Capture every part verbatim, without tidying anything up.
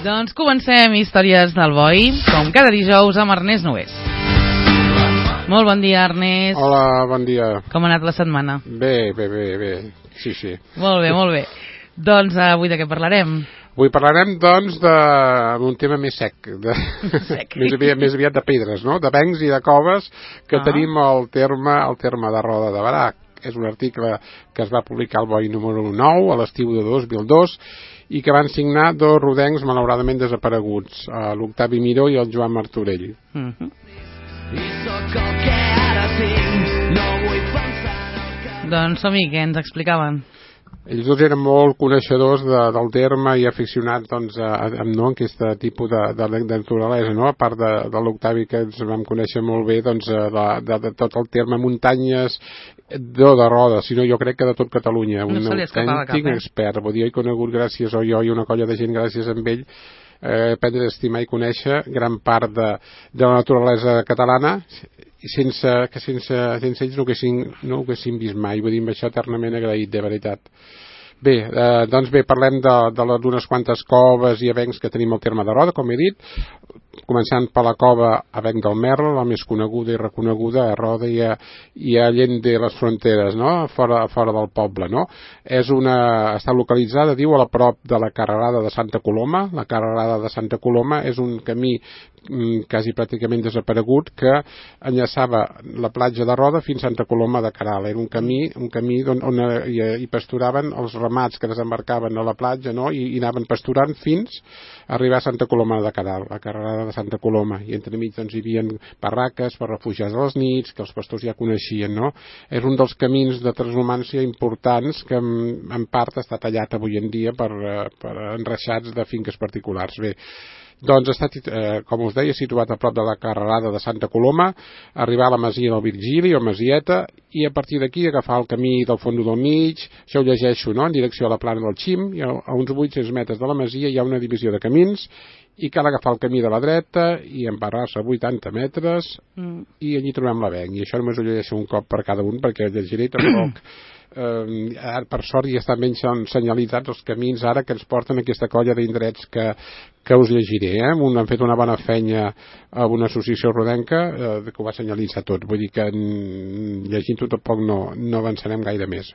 Doncs comencem Històries del Boi, com cada dijous amb Ernest Nogués. Molt bon dia, Ernest. Hola, bon dia. Com ha anat la setmana? Bé, bé, bé, bé. Sí, sí. Molt bé, molt bé. Doncs avui de què parlarem? Avui parlarem, doncs, d'un tema més sec, de... sec. més, aviat, més aviat de pedres, no? De bancs i de coves que ah. tenim al terme, al terme de Roda de Berà. És un article que es va publicar al Boi número nou a l'estiu de dos mil dos i que van signar dos rodencs malauradament desapareguts, l'Octavi Miró i el Joan Martorell. Uh-huh. Doncs som-hi, què ens explicaven? Ells dos eren molt coneixedors de, del terme i aficionats doncs, a, a, no, a aquest tipus de, de, de naturalesa, no? A part de, de l'Octavi, que ens vam conèixer molt bé, doncs, de, de, de tot el terme muntanyes, no de Roda, sinó jo crec que de tot Catalunya. No un se li escapava cap, eh? expert, vull dir, he conegut gràcies a jo i una colla de gent gràcies a ell, eh, aprendre a estimar i conèixer gran part de, de la naturalesa catalana, sense que sense, sense ells no ho haguessin, no ho haguessin vist mai, vull dir, amb això eternament agraït, de veritat. Bé, eh, doncs bé, parlem d'unes quantes coves i avencs que tenim al terme de Roda, com he dit, començant per la cova Avenc del Merla, la més coneguda i reconeguda a Roda i a, i a Allende les fronteres, no? fora, fora del poble. No? És una, està localitzada, diu, a la prop de la carrerada de Santa Coloma. La carrerada de Santa Coloma és un camí quasi pràcticament desaparegut que enllaçava la platja de Roda fins a Santa Coloma de Queralt. Era un camí, un camí on, on hi, hi pasturaven els ramats que desembarcaven a la platja, no? I, i anaven pasturant fins a arribar a Santa Coloma de Queralt, la carrerada de Santa Coloma, i entremig doncs, hi havia barraques per refugiats a les nits que els pastors ja coneixien, no? És un dels camins de transhumància importants que en, en part està tallat avui en dia per, per enreixats de finques particulars. Bé, doncs està, eh, com us deia, situat a prop de la carrerada de Santa Coloma, arribar a la masia del Virgili o Masieta, i a partir d'aquí agafar el camí del Fondo del Mig, això ho llegeixo, no?, en direcció a la plana del Xim, i a, a uns vuit-cents metres de la masia hi ha una divisió de camins, i cal agafar el camí de la dreta i embarrar-se vuitanta metres, mm. i allí trobem l'avenc, i això només ho llegeixo un cop per cada un, perquè llegiré tampoc... Eh, ara, per sort ja estan ben senyalitzats els camins ara que ens porten aquesta colla d'indrets que, que us llegiré, eh? Un, han fet una bona feina a una associació rodenca eh, que ho va senyalitzar tot, vull dir que llegint-ho tampoc no, no avançarem gaire més.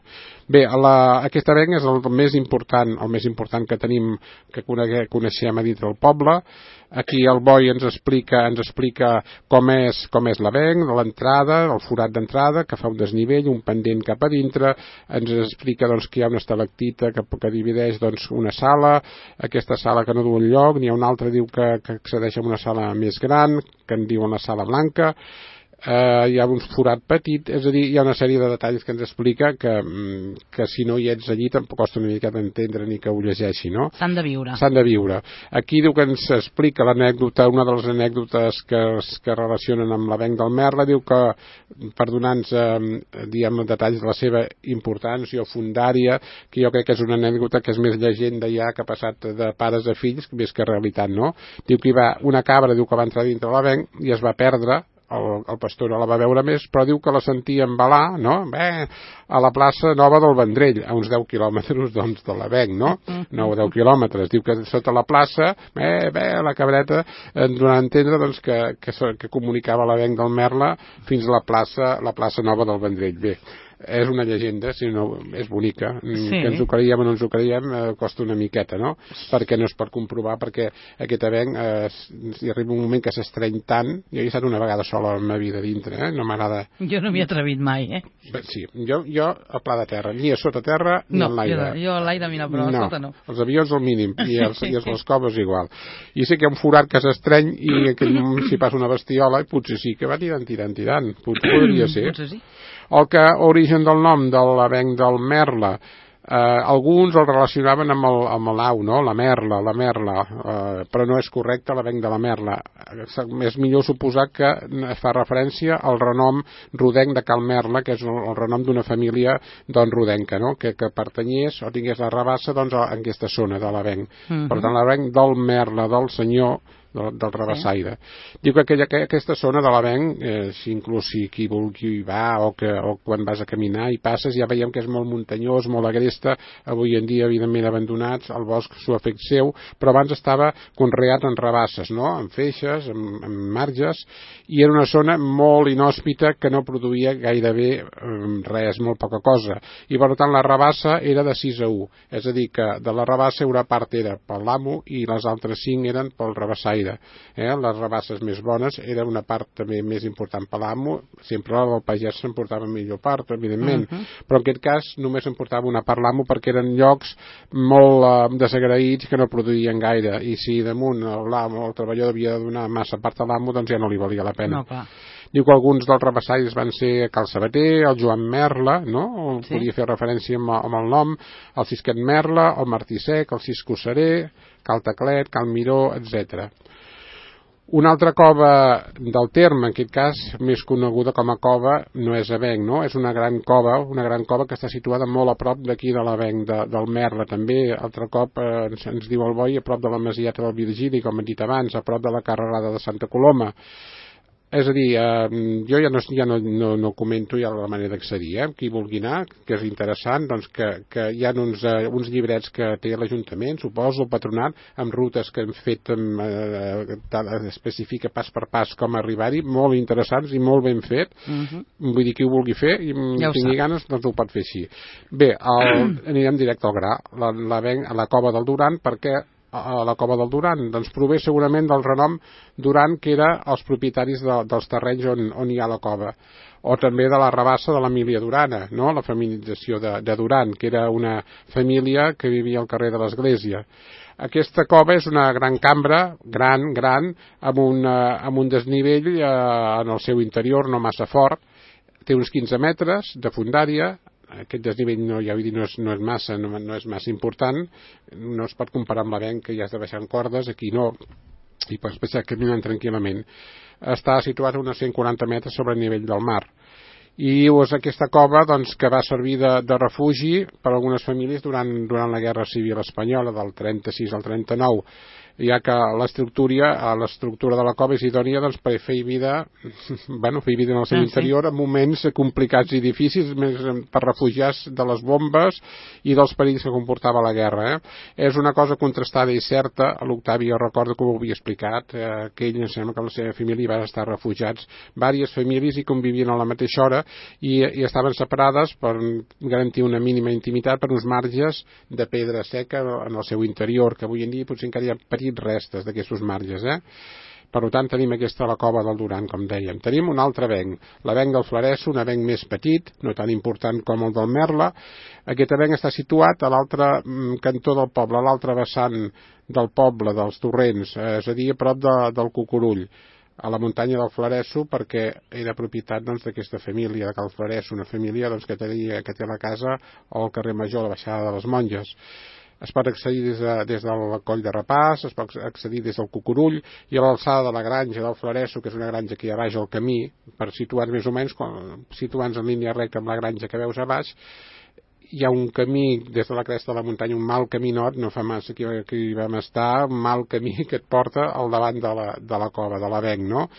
Bé, la, aquest avenc és el més important, el més important que tenim, que conegue, coneixem a dintre del poble. Aquí el Boi ens explica, ens explica com és, com és l'avenc, l'entrada, el forat d'entrada, que fa un desnivell, un pendent cap a dintre, ens explica doncs, que hi ha una estalactita que, que divideix doncs, una sala, aquesta sala que no du enlloc, n'hi ha una altra diu que, que accedeix a una sala més gran, que en diuen la sala blanca, Uh, hi ha un forat petit, és a dir, hi ha una sèrie de detalls que ens explica que, que si no hi ets allí tampoc costa una mica d'entendre ni que ho llegeixi, no? S'han de viure. S'han de viure. Aquí diu que ens explica l'anècdota, una de les anècdotes que es que relacionen amb l'avenc del Merla, diu que per donar-nos eh, diguem, detalls de la seva importància o fundària, que jo crec que és una anècdota que és més llegenda ja que ha passat de pares a fills més que realitat, no? Diu que hi va una cabra, diu que va entrar dintre l'avenc i es va perdre. El, el pastor no la va veure més, però diu que la sentia embalar, no? Bé, a la plaça Nova del Vendrell, a uns deu quilòmetres doncs, de l'avenc, no? nou o deu quilòmetres. Diu que sota la plaça, bé, bé, la cabreta, ens donava a entendre doncs, que, que, que comunicava l'avenc del Merla fins a la plaça, la plaça Nova del Vendrell. Bé, és una llegenda, si no, és bonica, sí. Que ens ho creiem o no ens ho creiem eh, costa una miqueta, no? Perquè no es pot comprovar, perquè aquest avenc eh, hi arriba un moment que s'estreny tant. Jo he estat una vegada sola en la meva vida dintre, eh? No m'agrada. Jo no m'hi he atrevit mai, eh? Bé, sí, jo, jo a pla de terra, ni a sota terra ni no, en l'aire. Jo, jo a l'aire mira, però no, a sota no. Els avions al mínim i els, i els les coves igual. I sé que hi ha un forat que s'estreny i en aquell moment s'hi passa una bestiola i potser sí que va tirant, tirant, tirant. Potser podria ser. Potser sí. El que origen del nom de l'avenc del Merla, eh, alguns el relacionaven amb el, amb l'au, no? La merla, la merla, eh, però no és correcte l'avenc de la merla. És millor suposar que fa referència al renom rodenc de Cal Merla, que és el, el renom d'una família doncs, rodenca, no? Que, que pertanyés o tingués la rabassa doncs, en aquesta zona de l'avenc. Uh-huh. Per tant, l'avenc del Merla, del senyor del, del Rabassaire. Sí. Diu que aquella, que aquesta zona de l'Avenc, eh, si inclús si qui vulgui va o, que, o quan vas a caminar i passes, ja veiem que és molt muntanyós, molt agresta, avui en dia evidentment abandonats, el bosc s'ho ha fet seu, però abans estava conreat en rabasses, no? En feixes, en, en marges, i era una zona molt inhòspita que no produïa gairebé res, molt poca cosa. I per tant la rabassa era de sis a u, és a dir, que de la rabassa una part era pel l'amo i les altres cinc eren pel rabassaire. Eh? Les rabasses més bones era una part també més important per l'amo, sempre la del pagès s'emportava millor part, evidentment, uh -huh. però en aquest cas només s'emportava una part l'amo perquè eren llocs molt eh, desagraïts que no produïen gaire, i si damunt l'amo, el treballador havia de donar massa part a l'amo, doncs ja no li valia la pena. No, clar. Diu que alguns dels rabassaires van ser Cal Sabater, el Joan Merla, no? Sí. Podia fer referència amb, amb el nom, el Sisquet Merla, el Martí Sec, el Cisco Seré, Cal Taclet, Cal Miró, etcètera. Una altra cova del terme, en aquest cas més coneguda com a cova, no és Avenc, no? És una gran cova, una gran cova que està situada molt a prop d'aquí de l'Avenc, de, del Merla, també, altre cop eh, ens, ens diu el Boi, a prop de la Masieta del Virgili, com hem dit abans, a prop de la carrerada de Santa Coloma. És a dir, eh, jo ja no, ja no, no, no comento ja la manera d'accedir, eh? Qui vulgui anar, que és interessant, doncs que, que hi ha uns, eh, uns llibrets que té l'Ajuntament, suposo, el Patronat, amb rutes que hem fet, amb, eh, especifica pas per pas com arribar-hi, molt interessants i molt ben fet. Uh-huh. Vull dir, qui ho vulgui fer i ja tingui ganes, doncs ho pot fer així. Bé, el, anirem directe al gra, la, la, a la cova del Duran, perquè a la cova del Duran, doncs prové segurament del renom Duran, que era els propietaris de, dels terrenys on, on hi ha la cova, o també de la rabassa de l'Emília Durana, no? La feminització de, de Duran, que era una família que vivia al carrer de l'Església. Aquesta cova és una gran cambra, gran, gran, amb un, amb un desnivell eh, en el seu interior no massa fort, té uns quinze metres de fundària. Aquest desnivell no, ja vull dir, no és, no és massa no, no és massa important, no es pot comparar amb l'Avenc, que ja has de baixar en cordes, aquí no, i pots passar caminant tranquil·lament. Està situat a uns cent quaranta metres sobre el nivell del mar, i és aquesta cova, doncs, que va servir de, de refugi per a algunes famílies durant, durant la Guerra Civil Espanyola del trenta-sis al trenta-nou, ja que l'estructura l'estructura de la cova és idònia, doncs, per fer vida bueno, fer vida en el seu ah, interior sí. en moments complicats i difícils, més per refugiats de les bombes i dels perills que comportava la guerra. Eh? És una cosa contrastada i certa. L'Octavi, jo recordo que ho havia explicat, eh, que ell, em sembla que la seva família va estar refugiats, diverses famílies, i convivien a la mateixa hora, i, i estaven separades per garantir una mínima intimitat per uns marges de pedra seca en el seu interior, que avui en dia potser encara hi ha petits restes d'aquests marges, eh? Per tant, tenim aquesta la cova del Duran, com dèiem. Tenim un altre avenc, l'avenc del Flaresso, un avenc més petit, no tan important com el del Merla. Aquest avenc està situat a l'altre cantó del poble, a l'altre vessant del poble, dels torrents, eh, és a dir, a prop de, del Cucurull, a la muntanya del Flaresso, perquè era propietat d'aquesta doncs, família de Cal Flaresso, una família doncs, que, tenia, que té la casa al carrer Major, a la baixada de les Monges. Es pot accedir des, de, des del Coll de Rapàs, es pot accedir des del Cucurull, i a l'alçada de la granja del Flaresso, que és una granja que hi ha baix al camí, per situar més o menys, situant-nos en línia recta amb la granja que veus a baix, hi ha un camí des de la cresta de la muntanya, un mal caminot, no fa massa que, que hi vam estar, un mal camí que et porta al davant de la, de la cova, de l'Avenc, no?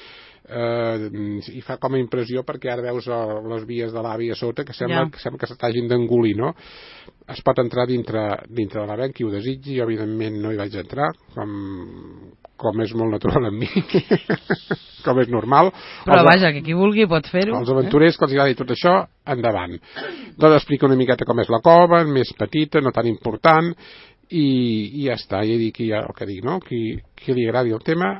Eh, i fa com a impressió perquè ara veus les vies de l'A V I a sota que sembla, yeah. que, sembla que se t'hagin d'engolir, no? Es pot entrar dintre, dintre de l'Avenc, qui ho desitgi. Jo evidentment no hi vaig entrar, com, com és molt natural en mi com és normal, però els, vaja, que qui vulgui pot fer-ho, els aventurers eh? que els agradi tot això, endavant. Doncs explica una miqueta com és la cova, més petita, no tan important, i, i ja està, ja dic ja el que dic, no? Qui, qui li agradi el tema,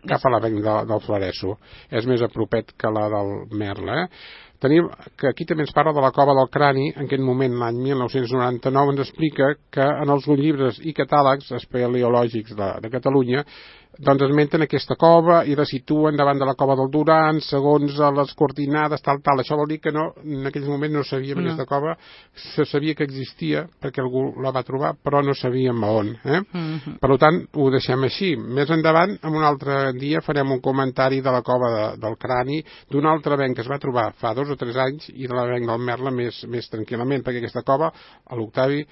cap a l'avenc de, del Flaresso, és més a propet que la del Merla. Eh? Tenim que aquí també ens parla de la cova del Crani. En aquest moment, l'any mil nou-cents noranta-nou, ens explica que en els llibres i catàlegs espeleològics de, de Catalunya doncs esmenten aquesta cova i la situen davant de la cova del Duran segons les coordinades, tal, tal. Això vol dir que no, en aquell moment no sabíem no. aquesta cova, se sabia que existia perquè algú la va trobar, però no sabíem a on. Eh? Uh-huh. Per tant, ho deixem així. Més endavant, en un altre dia, farem un comentari de la cova de, del Crani, d'un altre avenc que es va trobar fa dos o tres anys, i de l'avenc del Merla més, més tranquil·lament, perquè aquesta cova, a l'Octavi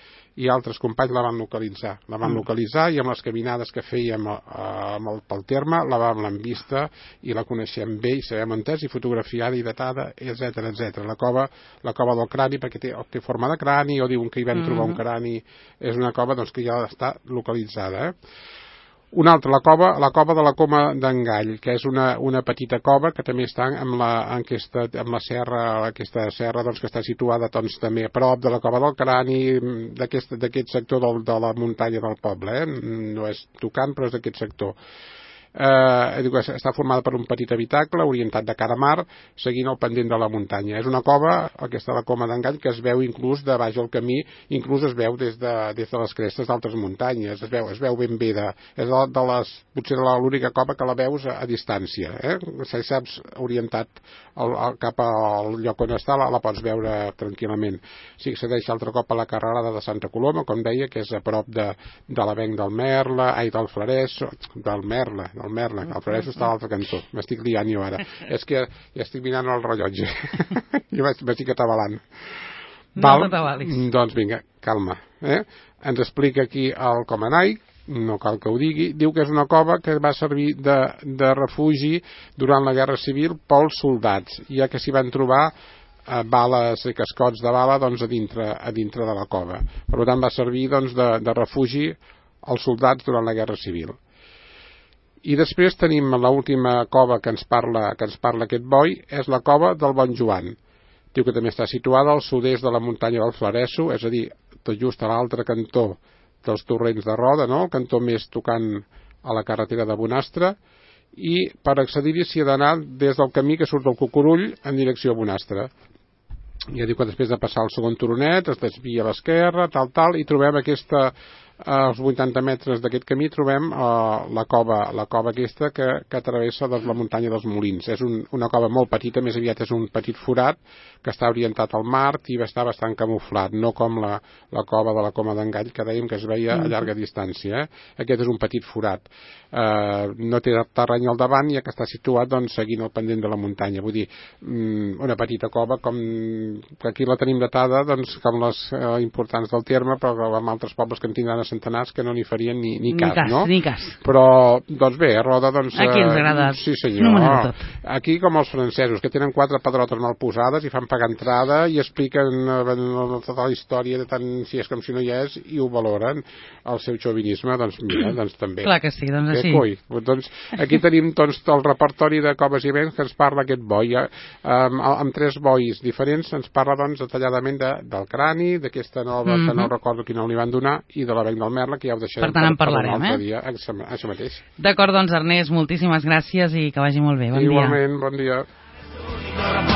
i altres companys la van localitzar. La van uh-huh. localitzar, i amb les caminades que fèiem a, a pel terme, la vam l'hem vista i la coneixem bé i sabem on és, i fotografiada i datada, etcètera, etcètera. La cova, la cova del crani, perquè té, té forma de crani, o diuen que hi vam trobar un crani, és una cova doncs, que ja està localitzada, eh? Una altra, la cova, la cova de la Coma d'en Gall, que és una, una petita cova que també està en la, en aquesta, en la serra, aquesta serra doncs, que està situada doncs, també a prop de la Cova del Crani, d'aquest sector del, de la muntanya del poble, eh? No és tocant, però és d'aquest sector. Eh, està formada per un petit habitacle orientat de cara a mar, seguint el pendent de la muntanya. És una cova, aquesta de la Coma d'en Gall, que es veu inclús de baix al camí, inclús es veu des de, des de les crestes d'altres muntanyes, es veu, es veu ben bé de, és de, de les, potser l'única cova que la veus a, a distància, eh? Si saps orientat el, el, cap al lloc on està, la, la pots veure tranquil·lament. Si accedeix altre cop a la carrerada de Santa Coloma, com deia, que és a prop de, de l'avenc del Merle, ai, del Flarès, del Merle, el Merle, el Flarès està a l'altre cantó. M'estic liant jo ara. És que ja estic mirant el rellotge. Jo m'estic atabalant. Val? No t'atabalis. Doncs vinga, calma. Eh? Ens explica aquí el Comanai, no cal que ho digui, diu que és una cova que va servir de, de refugi durant la Guerra Civil pels soldats, ja que s'hi van trobar eh, bales i cascots de bala doncs, a, dintre, a dintre de la cova. Per tant, va servir doncs, de, de refugi als soldats durant la Guerra Civil. I després tenim l'última cova que ens parla, que ens parla aquest boi, és la cova del Bon Joan. Diu que també està situada al sud-est de la muntanya del Flaresso, és a dir, tot just a l'altre cantó dels torrents de Roda, no? El cantó més tocant a la carretera de Bonastre, i per accedir-hi s'hi ha d'anar des del camí que surt del Cucurull en direcció a Bonastre. Ja diu que després de passar el segon turonet es desvia a l'esquerra, tal, tal, i trobem aquesta... als vuitanta metres d'aquest camí trobem uh, la cova la cova aquesta que, que travessa doncs, la muntanya dels Molins. És un, una cova molt petita, més aviat és un petit forat que està orientat al mar i està bastant camuflat, no com la, la cova de la Coma d'en Gall, que dèiem que es veia a llarga distància. Eh? Aquest és un petit forat. Uh, no té terreny al davant, ja que està situat doncs, seguint el pendent de la muntanya. Vull dir, um, una petita cova com que aquí la tenim datada doncs, com les uh, importants del terme, però amb altres pobles que en tindran a centenars que no n'hi farien ni, ni, ni cas, cas, no? Ni cas. Però, doncs bé, a Roda, doncs... Aquí ens agrada. Uh, sí, senyor. No, aquí, com els francesos, que tenen quatre pedrotes mal posades i fan pagar entrada i expliquen uh, tota la història de tant si és com si no hi és i ho valoren. El seu xovinisme, doncs mira, doncs també. Clar que sí, doncs així. Coi. Doncs aquí tenim doncs, el repertori de coves i vents que ens parla aquest boi. Eh? Um, amb tres bois diferents ens parla doncs detalladament de, del crani, d'aquesta nova, mm-hmm. que no recordo quin nom li van donar, i de l'avenc del Merle, que ja ho deixarem per, tant, en parlarem, per un altre eh? dia. Això, això mateix. D'acord, doncs Ernest, moltíssimes gràcies i que vagi molt bé. Bon Igualment, dia. bon dia.